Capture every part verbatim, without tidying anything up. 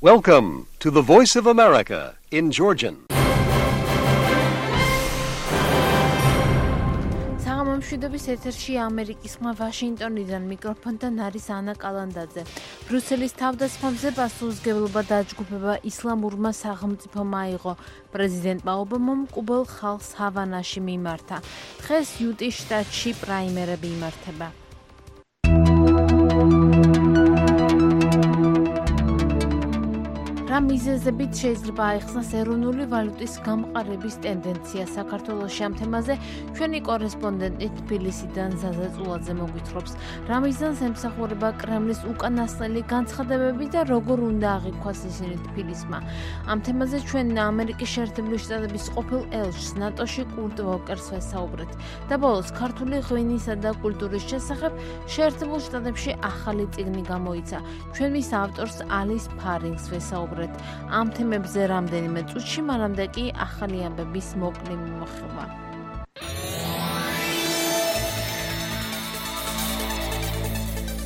Welcome to the Voice of America in Georgian. მშვიდობის ეთერში ამერიკის ხმა ვაშინგტონიდან მიკროფონთან არის ანა კალანდაძე. ბრიუსელის თავდასხმებზე პასუხისმგებლობა დაჯგუფება ისლამურმა სახელმწიფომ აიღო. პრეზიდენტმა ობამამ კუბელ ხალხს ჰავანაში მიმართა. დღეს იუტის შტატში პრაიმერები იმართება. რა მიზეზებით შეიძლება აიხსნას ეროვნული ვალუტის გამყარების ტენდენცია საქართველოში? ამ თემაზე ჩვენი კორესპონდენტი თბილისიდან ზაზა წულაძე მოგვითხრობს. რა მიზანს ემსახურება კრემლის უკანასკნელი განცხადებები და როგორ უნდა აღიქვას ისინი თბილისმა? ამ თემაზე ჩვენ ამერიკის შეერთებული შტატების ყოფილ ელჩს ნატოში კურტ ვოკერს ვესაუბრეთ. და ბოლოს ქართული ღვინისა და კულტურის შესახებ შეერთებულ შტატებში ახალი წიგნი გამოიცა. ჩვენ მის ავტორს ალის ფარინგს ვესაუბრეთ. ამ თემებზე რამდენიმე წუთში, მანამდე კი ახალი ამბების მოკლე მიმოხილვა.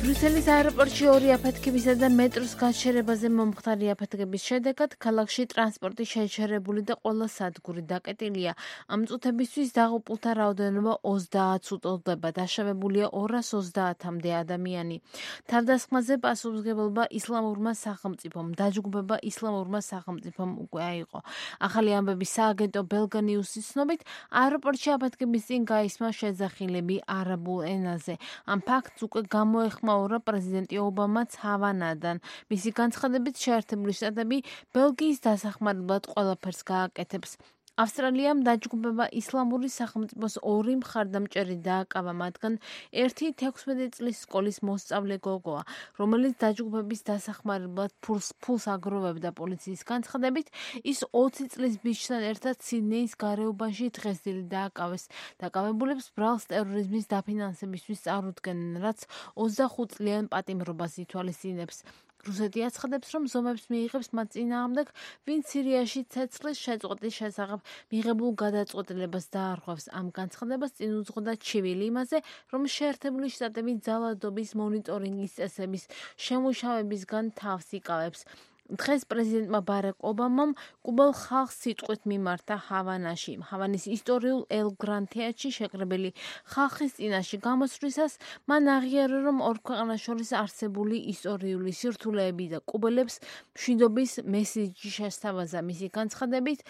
ბრიუსელის აეროპორტში ორი აფეთქებისა და მეტროს გაჩერებაზე მომხდარი აფეთქების შედეგად ქალაქში ტრანსპორტი შეჩერებული და ყველა სადგური დაკეტილია. ამ წუთებისთვის დაღუპულთა რაოდენობა ოცდაათს უტოლდება, დაშავებულია ორას ოცდაათამდე ადამიანი. თავდასხმაზე პასუხისმგებლობა ისლამურმა სახელმწიფომ, დაჯგუფება ისლამურმა სახელმწიფომ უკვე აიღო. ახალი ამბები სააგენტო ბელგა ნიუსის ცნობით, აეროპორტში აფეთქების წინ გაისმა შეძახილები არაბულ ენაზე. ამ ფაქტს უკვე გამოეხმაურა პრეზიდენტი ობამაც ჰავანადან. მისი განცხადებით შეერთებული შტატები ბელგიის დასახმარებლად ყველაფერს გააკეთებს. ავსტრალიამ დაჯგუფება ისლამური სახელმწიფოს ორი მხარდამჭერი დააკავა, მათგან ერთი თექვსმეტი წლის სკოლის მოსწავლე გოგოა, რომელიც დაჯგუფების დასახმარებლად ფულს, ფულს აგროვებდა. პოლიციის განცხადებით, ის ოცი წლის ბიჭთან ერთად სიდნეის გარეუბანში დღესდღეობით დააკავეს. დაკავებულებს ბრალს ტერორიზმის დაფინანსებისთვის წარუდგენენ, რაც ოცდახუთ წლიან პატიმრობას ითვალისწინებს. რუსეთი აცხადებს, რომ ზომებს მიიღებს მათ წინააღმდეგ, ვინც სირიაში ცეცხლის შეწყვეტის შესახებ მიღებულ გადაწყვეტილებას დაარღვევს. ამ განცხადებას წინ უძღოდა ჩივილი იმაზე, რომ შეერთებული შტატები ძალადობის მონიტორინგის წესების შემუშავებისგან თავს იკავებს. დღეს პრეზიდენტმა ბარაკ ობამამ კუბელ ხალხს სიტყვით მიმართა ჰავანაში. ჰავანის ისტორიულ ელ-გრან თეატრში შეკრებილი ხალხის წინაშე გამოსვლისას მან აღიარა, რომ ორ ქვეყანას შორის არსებული ისტორიული სირთულეები და კუბელებს მშვიდობის მესიჯი შესთავაზა. მისი განცხადებით,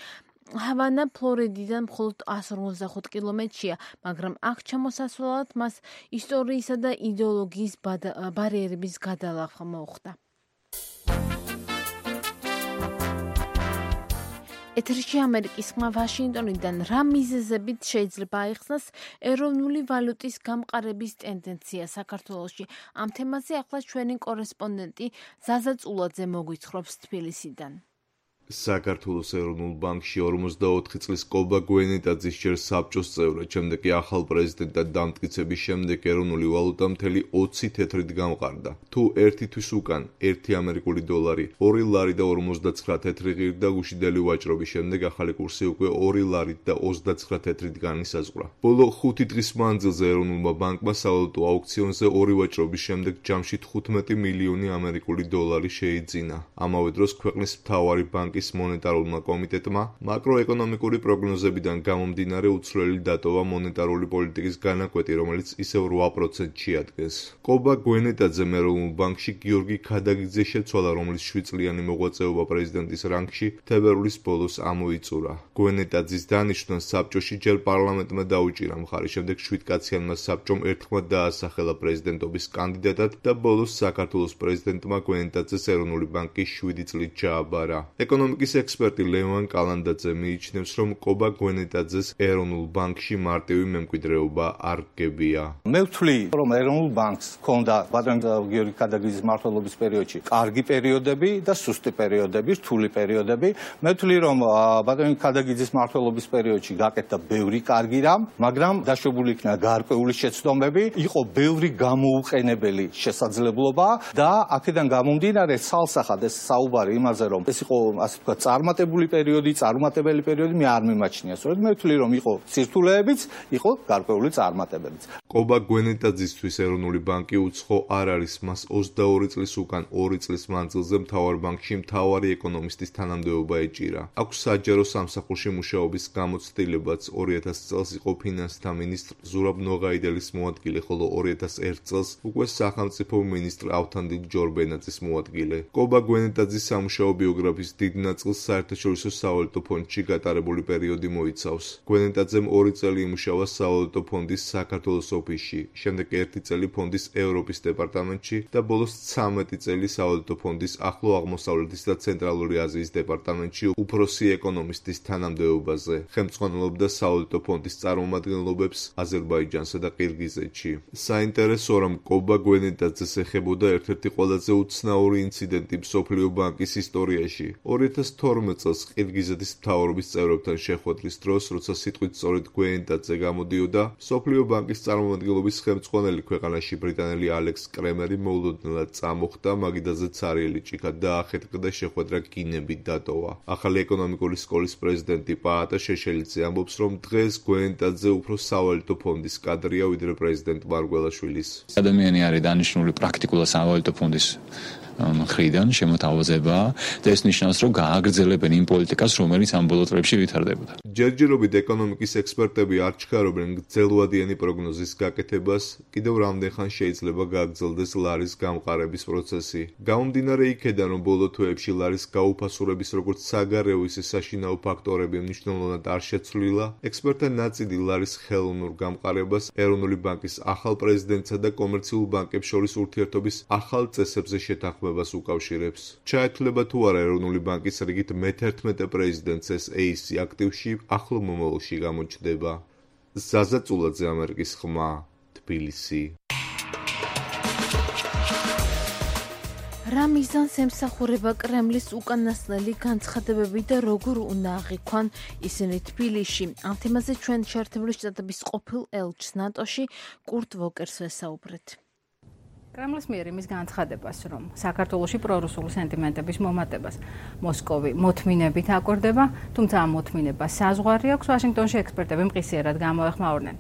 ჰავანა ფლორიდიდან მხოლოდ εκατს ორმოცდახუთ კილომეტრია, მაგრამ აქ ჩამოსასვლელად მას ისტორიისა და იდეოლოგიის ბარიერების გადალახვა მოუხდა. ეთერში ამერიკის ხმა ვაშინგტონიდან რა მიზეზებით შეიძლება აიხსნას ეროვნული ვალუტის გამყარების ტენდენცია საქართველოში? ამ თემაზე ახლა ჩვენი კორესპონდენტი ზაზა წულაძე მოგვითხრობს თბილისიდან. საქართველოს ეროვნულ ბანკში ორმოცდაოთხი წლის კობა გვენეტაძის ჯერ საბჭოს წევრად, შემდეგ კი ახალ პრეზიდენტად დამტკიცების შემდეგ ეროვნული ვალუტა მთელი ოცი თეთრით გამყარდა. თუ ერთი თვის უკან ერთი ამერიკული დოლარი, ორი ლარი და ორმოცდაცხრა თეთრი ღირდა გუშინდელი ვაჭრობის შემდეგ ახალი კურსი უკვე ორი ლარით და ოცდაცხრა თეთრით განისაზღვრა. ბოლო ხუთი დღის მანძილზე ეროვნულმა ბანკმა სავალუტო აუქციონზე ორი ვაჭრობის შემდეგ ჯამში თხუთმეტი მილიონი ამერიკული დოლარი შეიძინა. ამავე დროს ქვეყნის მთავარი ბანკი მონეტარულმა კომიტეტმა მაკროეკონომიკური პროგნოზებიდან გამომდინარე უცვლელი დატოვა მონეტარული პოლიტიკის განაკვეთი, რომელიც ისევ რვა პროცენტში ადგენს. კობა გვენეტაძემ ეროვნულ ბანკში გიორგი ქადაგიძე შეცვალა, რომლის შვიდ წლიანი მოღვაწეობა პრეზიდენტის რანგში თებერვლის ბოლოს ამოიწურა. გვენეტაძის დანიშვნას საბჭოში ჯერ პარლამენტმა დაუჭირა მხარი, შემდეგ შვიდკაციანმა საბჭომ ერთხმად დაასახელა პრეზიდენტობის კანდიდატად და ბოლოს საქართველოს პრეზიდენტმა გვენეტაძეს ეროვნული ბანკი შვიდი წლით ჩააბარა. ეკონომიკის ექსპერტი ლევან კალანდაძე მიიჩნევს, რომ კობა გვენეტაძეს ეროვნულ ბანკში მარტივი მემკვიდრეობა არ გებია. მე ვთვლი, რომ ეროვნულ ბანკს ჰქონდა ბატონ გიორგი ქადაგიძის მმართველობის პერიოდში კარგი პერიოდები და სუსტი პერიოდები, რთული პერიოდები. მე ვთვლი, რომ ბატონ ქადაგიძის მმართველობის პერიოდში გაკეთდა ბევრი კარგი რამ, მაგრამ დაშვებული იქნა გარკვეული შეცდომები, იყო ბევრი გამოუყენებელი შესაძლებლობა და აქედან გამომდინარე ცალსახად ეს საუბარი იმაზე, რომ ეს იყო ასე თქვა, წარმატებული პერიოდი, წარუმატებელი პერიოდი მე არ მიმაჩნია. სწორედ მე ვთვლი, რომ იყო სირთულეებიც, იყო გარკვეული წარმატებებიც. კობა გვენეტაძისთვის ეროვნული ბანკი უცხო არ არის, მას ოცდაორი წლის უკან ორი წლის მანძილზე მთავარ ბანკში მთავარი ეკონომისტის თანამდებობა ეჭირა. აქვს საჯარო სამსახურში მუშაობის გამოცდილებაც. ორი ათასი წელს იყო ფინანსთა მინისტრ ზურაბ ნოღაიდელის მოადგილე, ხოლო ორი ათასი ერთი წელს უკვე სახელმწიფო მინისტრ ავთანდილ ჯორბენაძის მოადგილე. კობა გვენეტაძის სამუშაო ბიოგრაფიის დიდ ნაწილს საერთაშორისო სავალუტო ფონდში გატარებული პერიოდი მოიცავს. გვენეტაძემ ორი წელი იმუშავა სავალუტო ფონდის საქართველოს ოფისში, შემდეგ ერთი წელი ფონდის ევროპის დეპარტამენტში და ბოლოს ცამეტი წელი სავალუტო ფონდის ახლო აღმოსავლეთის და ცენტრალური აზიის დეპარტამენტში უფროსი ეკონომისტის თანამდებობაზე. ხელმძღვანელობდა სავალუტო ფონდის წარმომადგენლობებს აზერბაიჯანსა და ყირგიზეთში. საინტერესოა, რომ კობა გვენეტაძეს ეხებოდა ერთ-ერთი ყველაზე უცნაური ინციდენტი მსოფლიო ბანკის ისტორიაში. ორი ათასი თორმეტ წელს ყირგიზეთის მთავრობის წევრებთან შეხვედრის დროს, როცა სიტყვით სწორედ გვენეტაძე გამოდიოდა, მსოფლიო ბანკის წარმომადგენლობის ხელმძღვანელი ქვეყანაში ბრიტანელი ალექს კრემერი მოულოდნელად წამოხდა, მაგიდაზე ცარიელი ჭიქა დაახეთქა და შეხვედრა გინებით დატოვა. ახალი ეკონომიკური სკოლის პრეზიდენტი პაატა შეშელიძე ამბობს, რომ დღეს გვენეტაძე უფრო სავალუტო ფონდის კადრია, ვიდრე პრეზიდენტ მარგველაშვილის. ადამიანი არის დანიშნული პრაქტიკულად სავალუტო ფონდის მხრიდან შემოთავაზება და ეს ნიშნავს, რომ გააგრძელებენ იმ პოლიტიკას, რომელიც ამ ბოლო წლებში ვითარდებოდა. ჯერჯერობით ეკონომიკის ექსპერტები არ ჩქარობენ გრძელვადიანი პროგნოზის გაკეთებას, კიდევ რამდენ ხანს შეიძლება გააგრძელდეს ლარის გამყარების პროცესი. გამომდინარე იქედან, რომ ბოლო თვეებში ლარის გაუფასურების როგორც საგარეო, ისე საშინაო ფაქტორები მნიშვნელოვნად არ შეცვლილა, ექსპერტთა ნაწილი ლარის ხელოვნურ გამყარებას ეროვნული ბანკის ახალ პრეზიდენტსა და კომერციულ ბანკებს შორის ურთიერთობის ახალ წესებზე შეთანხმებას უკავშირებს. ჩაეთვლება თუ არა ეროვნული ბანკის რიგით მეთერთმეტე პრეზიდენტს ეს ეისი აქტივში ახლო მომავალში გამოჩნდება. ზაზა წულაძე, ამერიკის ხმა, თბილისი. რა მიზანს ემსახურება კრემლის უკანასკნელი განცხადებები და როგორ უნდა აღიქვან ისინი თბილისში? ამ თემაზე ჩვენ შეერთებული შტატების ყოფილ ელჩს ნატოში კურტ ვოკერს ვესაუბრეთ. კრემლის მიერ იმის განცხადებას, რომ საქართველოში პრორუსული სენტიმენტების მომატებას მოსკოვი მოთმინებით აკვირდება, თუმცა ამ მოთმინებას საზღვარი აქვს, ვაშინგტონში ექსპერტები მყისიერად გამოეხმაურნენ.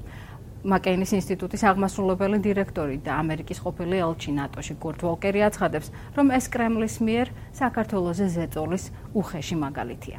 მაკეინის ინსტიტუტის აღმასრულებელი დირექტორი და ამერიკის ყოფილი ელჩი ნატოში კურტ ვოკერი აცხადებს, რომ ეს კრემლის მიერ საქართველოზე ზეწოლის უხეში მაგალითია.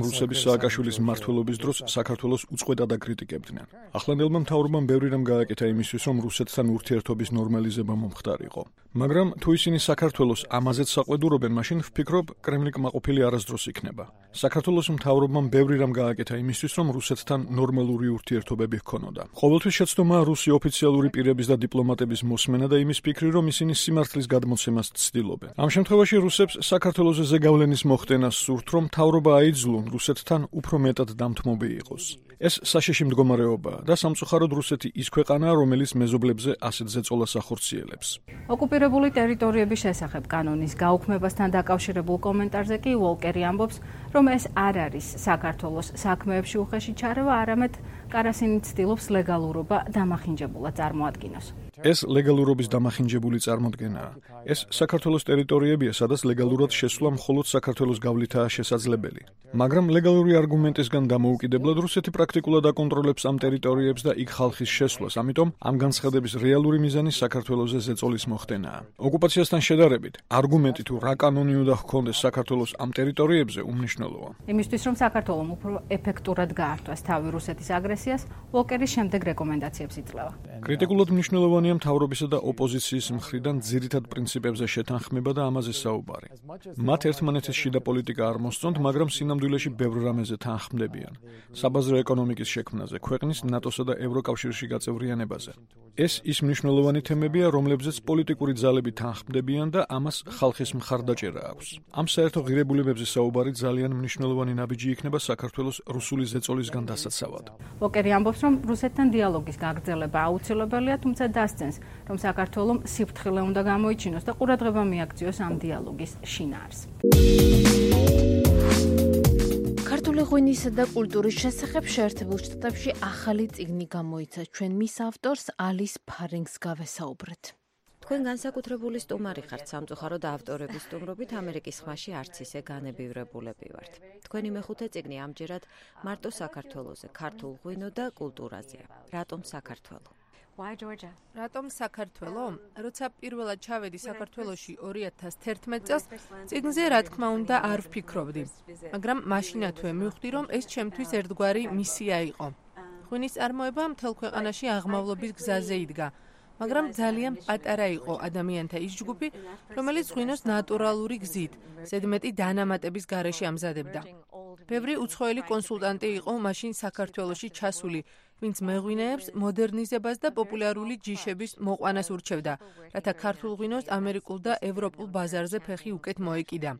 რუსების სააკაშვილის მმართველობის დროს საქართველოს უწყვეტად აკრიტიკებდნენ. ახლანდელმა მთავრობამ ბევრი რამ გააკეთა იმისთვის, რომ რუსეთთან ურთიერთობის ნორმალიზება მომხდარიყო. მაგრამ თუ ისინი საქართველოს ამაზეც საყვედურობენ, მაშინ ვფიქრობ, კრემლი კმაყოფილი არასდროს იქნება. საქართველოს მთავრობამ ბევრი რამ გააკეთა იმისთვის, რომ რუსეთთან ნორმალური ურთიერთობები ჰქონოდა. ყოველთვის შეცდომა რუსი ოფიციალური პირების და დიპლომატების მოსმენა და იმის ფიქრი, რომ ისინი სიმართლის გადმოცემას ცდილობენ. ამ შემთხვევაში რუსებს საქართველოს ზეგავლენის მოხდენას სურთ, რომ მთავრობა აიძულონ რუსეთთან უფრო მეტად დამთმობი იყოს. ეს საშიში მდგომარეობაა და სამწუხაროდ რუსეთი ის ქვეყანაა, რომელიც მეზობლებზე ასეთ ზეწოლას ახორციელებს. ოკუპირებული ტერიტორიების შესახებ კანონის გაუქმებასთან დაკავშირებულ კომენტარზე კი ვოლკერი ამბობს, რომ ეს არ არის საქართველოს საქმეებში უხეში ჩარევა, არამედ კარასინი ცდილობს ლეგალურობა დამახინჯებულად წარმოადგინოს. ეს ლეგალურობის დამახინჯებული წარმოდგენაა. ეს საქართველოს ტერიტორიებია, სადაც ლეგალურად შესვლა მხოლოდ საქართველოს გავლითაა შესაძლებელი. მაგრამ ლეგალური არგუმენტისგან დამოუკიდებლად რუსეთი პრაქტიკულად აკონტროლებს ამ ტერიტორიებს და იქ ხალხის შესვლას, ამიტომ ამ განცხადების რეალური მიზანი საქართველოზე ზეწოლის მოხდენაა. ოკუპაციასთან შედარებით, არგუმენტი თუ რა კანონი უნდა ჰქონდეს საქართველოს ამ ტერიტორიებზე უმნიშვნელოა. იმისთვის, რომ საქართველოს უფრო ეფექტურად გაართვას თავი რუსეთის აგრესიას, ვოკერის შემდეგ რეკომენდაციებს იძლევა. კრიტიკულად მნიშვნელოვანია მთავრობისა და ოპოზიციის მხრიდან ძირითად პრინციპებზე შეთანხმება და ამაზე საუბარი. მათ ერთმანეთის შიდა პოლიტიკა არ მოსწონთ, მაგრამ სინამდვილეში ბევრ რამეზე თანხმდებიან. საბაზრო ეკონომიკის შექმნაზე, ქვეყნის ნატოსა და ევროკავშირში გაწევრიანებაზე. ეს ის მნიშვნელოვანი თემებია, რომლებზეც პოლიტიკური ძალები თანხმდებიან და ამას ხალხის მხარდაჭერა აქვს. ამ საერთო ღირებულებებზე საუბარი ძალიან მნიშვნელოვანი ნაბიჯი იქნება საქართველოს რუსული ზეწოლისგან დასაცავად. ვოკერი ამბობს, რომ რუსეთთან დიალოგის გაგრძელება აუცილებელია, თუმცა დასცენს, რომ საქართველოს სიფრთხილე უნდა გამოიჩინოს და ყურადღება მიაქციოს ამ დიალოგის შინაარს. ქართული ღვინისა და კულტურის შესახებ შეერთებულ შტატებში ახალი წიგნი გამოიცა. ჩვენ მის ავტორს ალის ფარინგს გავესაუბრეთ. თქვენ განსაკუთრებული სტუმარი ხართ სამწუხაროდ ავტორების სტუმრობით ამერიკის ხმაში არც ისე განებივრებულები ვართ. თქვენი მეხუთე წიგნი ამჯერად მარტო საქართველოზე, ქართულ ღვინო და კულტურაზეა. რატომ საქართველო? Why Georgia? რატომ საქართველო? როცა პირველად ჩავედი საქართველოში ორი ათას თერთმეტ წელს, წიგნზე რა თქმა უნდა არ ვფიქრობდი. მაგრამ მაშინათვე მივხვდი, რომ ეს ჩემთვის ერთგვარი მისია იყო. ღვინის წარმოება მთელ ქვეყანაში აღმავლობის გზაზე იდგა. მაგრამ ძალიან პატარა იყო ადამიანთა ის ჯგუფი, რომელიც ღვინოს ნატურალური გზით, ზედმეტი დანამატების გარეშე ამზადებდა. ბევრი უცხოელი კონსულტანტი იყო მაშინ საქართველოში ჩასული, ვინც მეღვინეებს მოდერნიზებას და პოპულარული ჯიშების მოყვანას ურჩევდა, რათა ქართულ ღვინოს ამერიკულ და ევროპულ ბაზარზე ფეხი უკეთ მოეკიდა.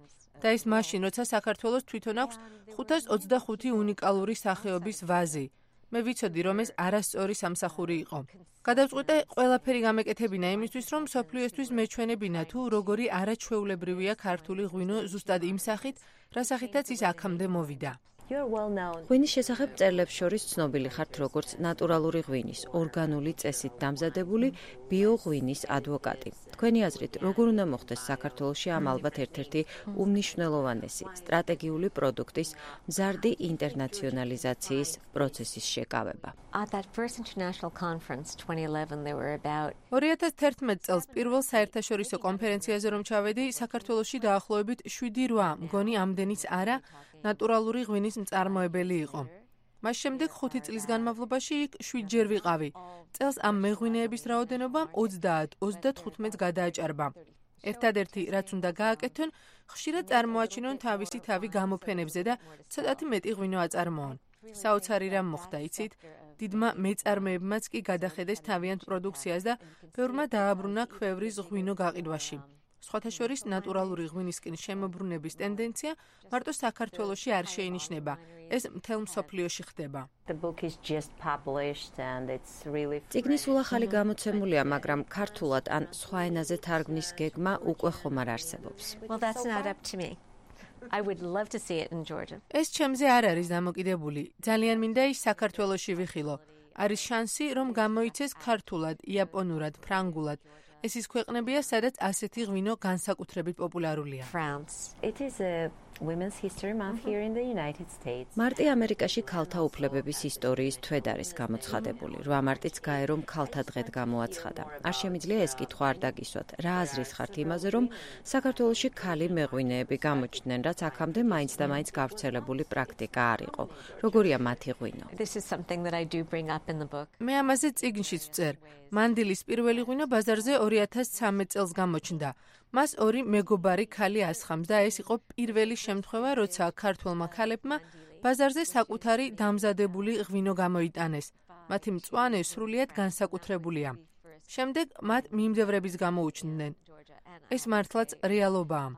და ეს მაშინ, როცა საქართველოს თვითონ აქვს ხუთას ოცდახუთი უნიკალური სახეობის ვაზი. მე ვიცოდი, რომ ეს არასწორი სამსახური იყო. გადავწყვიტე ყველაფერი გამეკეთებინა იმისთვის, რომ მსოფლიოსთვის მეჩვენებინა თუ როგორი არაჩვეულებრივია ქართული ღვინო ზუსტად იმ სახით, რა სახითაც ის აქამდე მოვიდა. ღვინის შესახებ წერილებს შორის ცნობილი ხართ როგორც ნატურალური ღვინის, ორგანული წესით დამზადებული ბიოღვინის ადვოკატი. თქვენი აზრით, როგორ უნდა მოხდეს საქართველოში ამ ალბათ ერთ-ერთი უმნიშვნელოვანესი სტრატეგიული პროდუქტის მზარდი ინტერნაციონალიზაციის პროცესის შეკავება? At that first international conference twenty eleven there were about ორი ათას თერთმეტ წელს პირველ საერთაშორისო კონფერენციაზე რომ ჩავედი, საქართველოში დაახლოებით შვიდი რვა მგონი ამდენიც არა ნატურალური ღვინის მწარმოებელი იყო. მას შემდეგ ხუთი წლის განმავლობაში იქ შვიდჯერ ვიყავი. წელს ამ მეღვინეების რაოდენობა ოცდაათ ოცდათხუთმეტს გადააჭარბა. ერთადერთი, რაც უნდა გააკეთონ, ხშირად წარმოაჩინონ თავისი თავი გამოფენებზე და ცოტათი მეტი ღვინო აწარმოონ. საოცარი რამ მოხდა, იცით? დიდმა მეწარმეებმაც კი გადახედეს თავიანთ პროდუქციას და ბევრმა დააბრუნა ქვევრის ღვინო გაყიდვაში. სხვათა შორის ნატურალური ღვინისკენ შემოbrunების ტენდენცია მარტო საქართველოში არ შეინიშნება. ეს მთელ მსოფლიოში ხდება. წიგნი სულ ახალი გამოცემულია, მაგრამ ქართულად ან სხვა ენაზე თარგმნის გეგმა უკვე ხომ არ არსებობს. Well, that's not up to me. I would love to see it in Georgia. ეს ჩემზე არ არის დამოკიდებული. ძალიან მინდა ის საქართველოში ვიხილო. არის შანსი, რომ გამოიცეს ქართულად, იაპონურად, ფრანგულად. ეს ის ქვეყნებია, სადაც ასეთი ღვინო განსაკუთრებით პოპულარულია. მარტი ამერიკაში ქალთა უფლებების ისტორიის თვედ არის გამოცხადებული. რვა მარტიც გაერომ ქალთა დღედ გამოაცხადა. არ შემიძლია ეს კითხვა არ დაგისვათ. რა აზრის ხართ იმაზე, რომ საქართველოში ქალი მეღვინეები გამოჩნდნენ, რაც აქამდე მაინც და მაინც გავრცელებული პრაქტიკა არ იყო. როგორია მათი ღვინო? მე ამაზე წიგნშიც ვწერ. მანდილის პირველი ღვინო ბაზარზე ორი ათას ცხრამეტ წელს გამოჩნდა. მას ორი მეგობარი ქალი ასხამს და ეს იყო პირველი შემთხვევა, როცა ქართველმა ქალებმა ბაზარზე საკუთარი დამზადებული ღვინო გამოიტანეს. მათი მწვანე სრულიად განსაკუთრებულია. შემდეგ მათ მიმდევრების გამოუჩნდნენ. ეს მართლაც რეალობაა.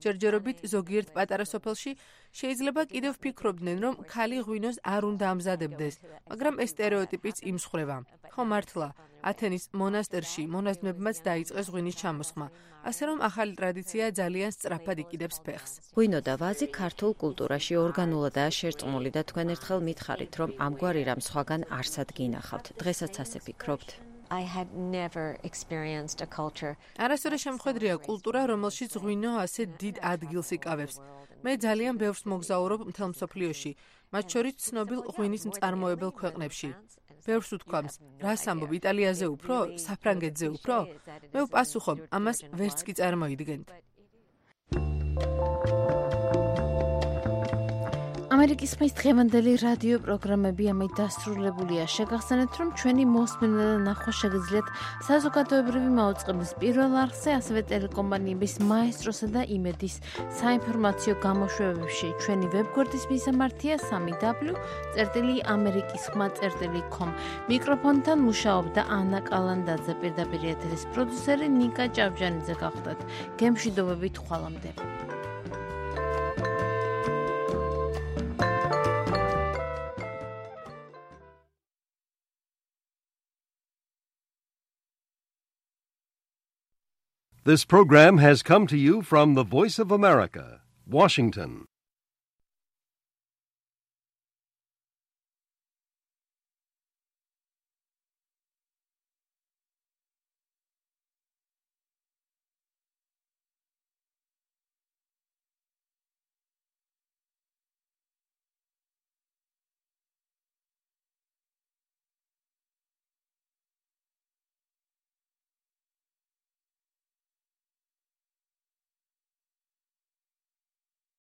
ჯერჯერობით ზოგიერთ პატარა სოფელში შეიძლება კიდევ ვფიქრობდნენ, რომ ქალი ღვინოს არ უნდა ამზადებდეს, მაგრამ ეს სტერეოტიპიც იმსხვრევა. ხო მართლა, ათენის მონასტერში მონაზვნებმაც დაიწყეს ღვინის ჩამოსხმა, ასე რომ ახალი ტრადიცია ძალიან სწრაფად იყიდებს ფეხს. ღვინო და ვაზი ქართულ კულტურაში ორგანულადაა შერწყმული და თქვენ ერთხელ მითხარით, რომ ამგვარი რამ სხვაგან არსად გინახავთ. დღესაც ასე ფიქრობთ? I had never experienced a culture. არასოდეს შემხედრია კულტურა, რომელშიც ღვინო ასე დიდ ადგილს იკავებს. მე ძალიან ბევრს მოგზაურობ მთელ მსოფლიოში, მათ შორის ცნობილ ღვინის მწარმოებელ ქვეყნებში. ბევრს უთქვამს, რას ამბობ, იტალიაზე უფრო, საფრანგეთზე უფრო? მე ვპასუხობ, ამას ვერც კი წარმოიდგენთ. ამერიკის ხმის დღევანდელი რადიო პროგრამები ამით დასრულებულია. შეგახსენებთ, რომ ჩვენი მოსმენა და ნახვა შეგიძლიათ საზოგადოებრივი მაუწყებლის პირველ არხზე, ასევე ტელეკომპანიების მაესტროსა და იმედის საინფორმაციო გამოშვებებში. ჩვენი ვებგვერდის მისამართია სამი დაბლიუ წერტილი ამერიკის ხმა წერტილი com. მიკროფონთან მუშაობდა ანა კალანდაძე, პირდაპირ ეთერის პროდიუსერი ნიკა ჭავჭანიძე გახლდათ. გემშვიდობებით ხვალამდე. This program has come to you from the Voice of America, Washington.